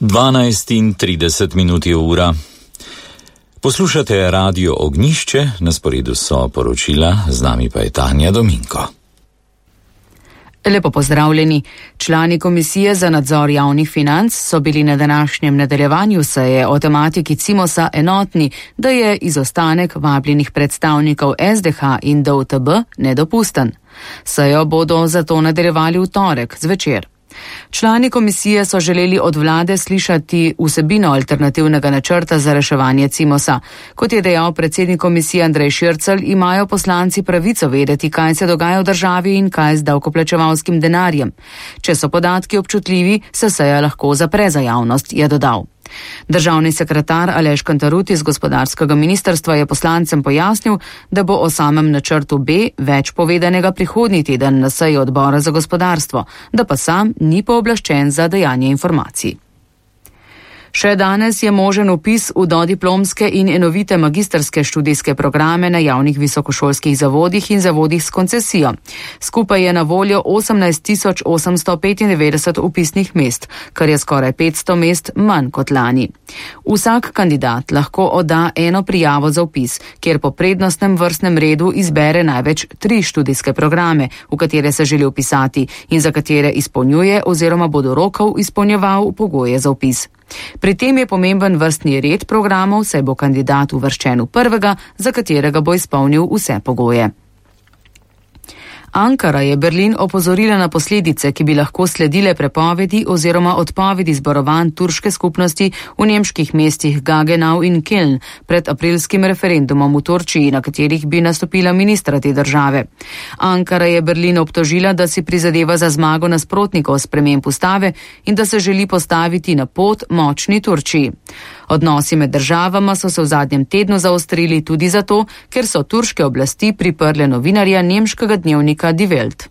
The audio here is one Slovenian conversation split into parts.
12:30 je ura. Poslušate Radio Ognjišče, na sporedu so poročila, z nami pa je Tanja Dominko. Lepo pozdravljeni. Člani Komisije za nadzor javnih financ so bili na današnjem nadaljevanju seje o tematiki Cimosa enotni, da je izostanek vabljenih predstavnikov SDH in DUTB nedopusten. Sejo bodo zato nadaljevali v torek zvečer. Člani komisije so želeli od vlade slišati vsebino alternativnega načrta za reševanje Cimosa. Kot je dejal predsednik komisije Andrej Šircelj, imajo poslanci pravico vedeti, kaj se dogaja v državi in kaj z davkoplačevalskim denarjem. Če so podatki občutljivi, se seja lahko zapre za javnost, je dodal. Državni sekretar Aleš Kantarut iz gospodarskega ministrstva je poslancem pojasnil, da bo o samem načrtu B več povedanega prihodnji teden na seji odbora za gospodarstvo, da pa sam ni pooblaščen za dajanje informacij. Še danes je možen vpis v dodiplomske in enovite magistrske študijske programe na javnih visokošolskih zavodih in zavodih s koncesijo. Skupaj je na voljo 18.895 vpisnih mest, kar je skoraj 500 mest manj kot lani. Vsak kandidat lahko odda eno prijavo za vpis, kjer po prednostnem vrstnem redu izbere največ 3 študijske programe, v katere se želi vpisati in za katere izpolnjuje oziroma bo do rokov izpolnjeval pogoje za vpis. Pri tem je pomemben vrstni red programov, saj bo kandidat uvrščen v prvega, za katerega bo izpolnil vse pogoje. Ankara je Berlin opozorila na posledice, ki bi lahko sledile prepovedi oziroma odpovedi zborovanj turške skupnosti v nemških mestih Gaggenau in Köln pred aprilskim referendumom v Turčiji, na katerih bi nastopila ministra te države. Ankara je Berlin obtožila, da si prizadeva za zmago nasprotnikov sprememb ustave in da se želi postaviti na pot močni Turčiji. Odnosi med državama so se v zadnjem tednu zaostrili tudi zato, ker so turške oblasti priprle novinarja nemškega dnevnika Die Welt.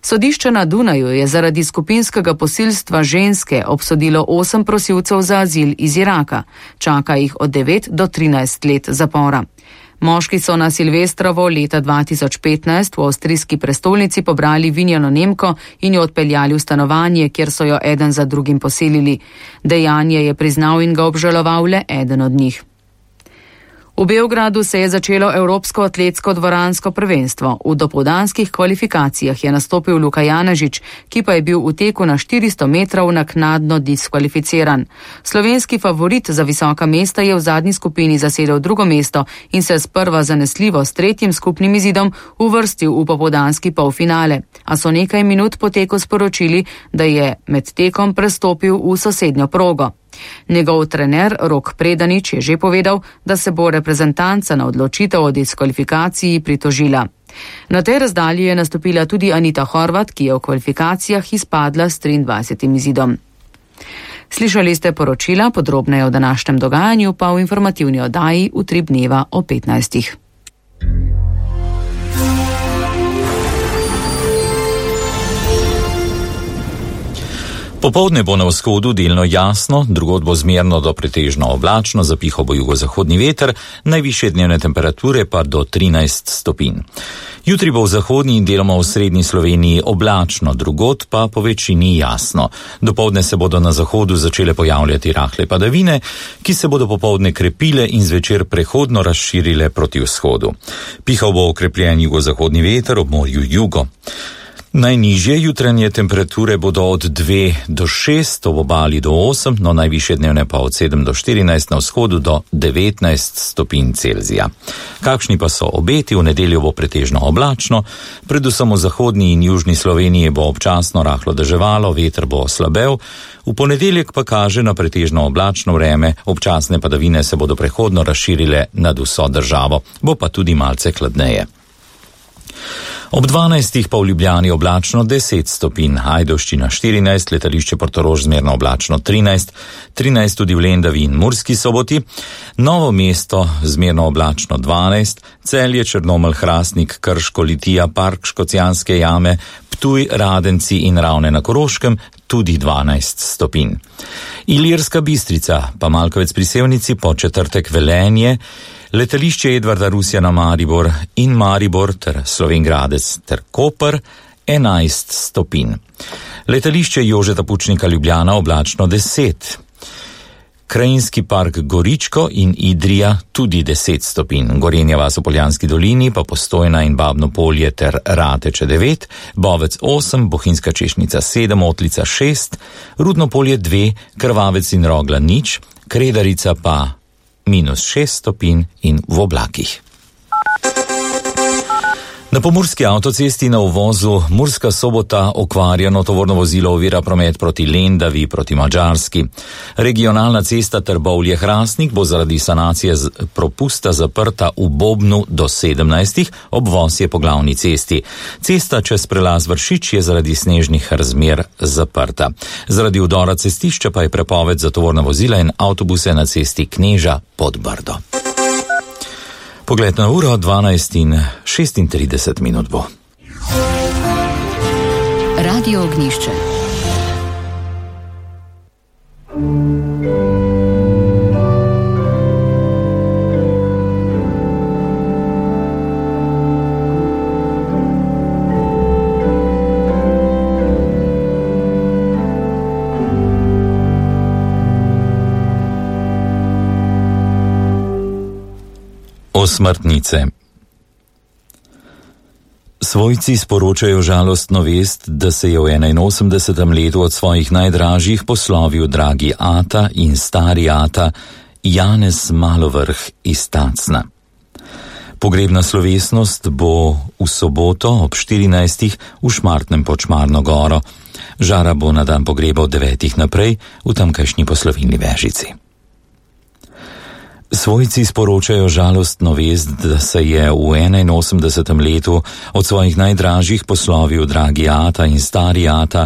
Sodišče na Dunaju je zaradi skupinskega posilstva ženske obsodilo 8 prosilcev za azil iz Iraka. Čaka jih od 9 do 13 let zapora. Moški so na Silvestrovo leta 2015 v avstrijski prestolnici pobrali vinjeno Nemko in jo odpeljali v stanovanje, kjer so jo eden za drugim posilili. Dejanje je priznal in ga obžaloval le eden od njih. V Beogradu se je začelo Evropsko atletsko dvoransko prvenstvo. V dopoldanskih kvalifikacijah je nastopil Luka Janežič, ki pa je bil v teku na 400 metrov naknadno diskvalificiran. Slovenski favorit za visoka mesta je v zadnji skupini zasedel drugo mesto in se sprva zanesljivo s 3. skupnim izidom uvrstil v popoldanski polfinale, a so nekaj minut po teku sporočili, da je med tekom prestopil v sosednjo progo. Njegov trener Rok Predanič je že povedal, da se bo reprezentanca na odločitev o diskvalifikaciji pritožila. Na tej razdalji je nastopila tudi Anita Horvat, ki je v kvalifikacijah izpadla s 23. izidom. Slišali ste poročila, podrobneje o današnjem dogajanju pa v informativni oddaji Utrip dneva o 15. Popoldne bo na vzhodu delno jasno, drugod bo zmerno do pretežno oblačno, zapihal bo jugozahodni veter, najvišje dnevne temperature pa do 13 stopinj. Jutri bo v zahodni in deloma v srednji Sloveniji oblačno, drugod pa po večini jasno. Dopoldne se bodo na zahodu začele pojavljati rahle padavine, ki se bodo popoldne krepile in zvečer prehodno razširile proti vzhodu. Pihal bo okrepljen jugozahodni veter ob morju jugo. Najnižje jutranje temperature bodo od 2 do 6, ob obali do 8, no najvišje dnevne pa od 7 do 14, na vzhodu do 19 stopinj Celzija. Kakšni pa so obeti? V nedeljo bo pretežno oblačno, predvsem v zahodni in južni Sloveniji bo občasno rahlo deževalo, veter bo slabel, v ponedeljek pa kaže na pretežno oblačno vreme, občasne padavine se bodo prehodno razširile nad vso državo, bo pa tudi malce hladneje. Ob 12. pa v Ljubljani oblačno 10 stopinj, Ajdovščina 14, letališče Portorož zmerno oblačno 13, 13 tudi v Lendavi in Murski Soboti, Novo mesto zmerno oblačno 12, Celje, Črnomelj, Hrastnik, Krško, Litija, Park, Škocjanske jame, Ptuj, Radenci in Ravne na Koroškem tudi 12 stopinj. Ilirska Bistrica, pa Malkovec pri Sevnici, po četrtek Velenje, letališče Edvarda Rusjana Maribor in Maribor ter Slovenj Gradec ter Koper 11 stopinj. Letališče Jožeta Pučnika Ljubljana oblačno 10. Krajinski park Goričko in Idrija tudi 10 stopinj. Gorenja vas v Poljanski dolini pa Postojna in Babno Polje ter Rateče 9, Bovec 8, Bohinjska Češnica 7, Otlica 6, Rudno Polje 2, Krvavec in Rogla 0, Kredarica pa -6 stopinj in v oblakih. Na pomurski avtocesti na uvozu Murska Sobota okvarjeno tovorno vozilo ovira promet proti Lendavi proti Madžarski. Regionalna cesta Trbovlje-Hrastnik bo zaradi sanacije propusta zaprta v Bobnu do 17. Obvoz je po glavni cesti. Cesta čez prelaz Vršič je zaradi snežnih razmer zaprta. Zaradi vdora cestišča pa je prepoved za tovorna vozila in avtobuse na cesti Kneža pod Brdo. Pogled na uro 12:36 bo. Radio Ognjišče. Osmrtnice. Svojci sporočajo žalostno vest, da se je v 81. letu od svojih najdražjih poslovil dragi ata in stari ata Janez Malovrh iz Tacna. Pogrebna slovesnost bo v soboto ob 14. v Šmartnem pod Šmarno goro. Žara bo na dan pogreba od 9. naprej v tamkajšnji poslovilni Vežici. Svojci sporočajo žalostno vest, da se je v 81. letu od svojih najdražjih poslovil dragi ata in stari ata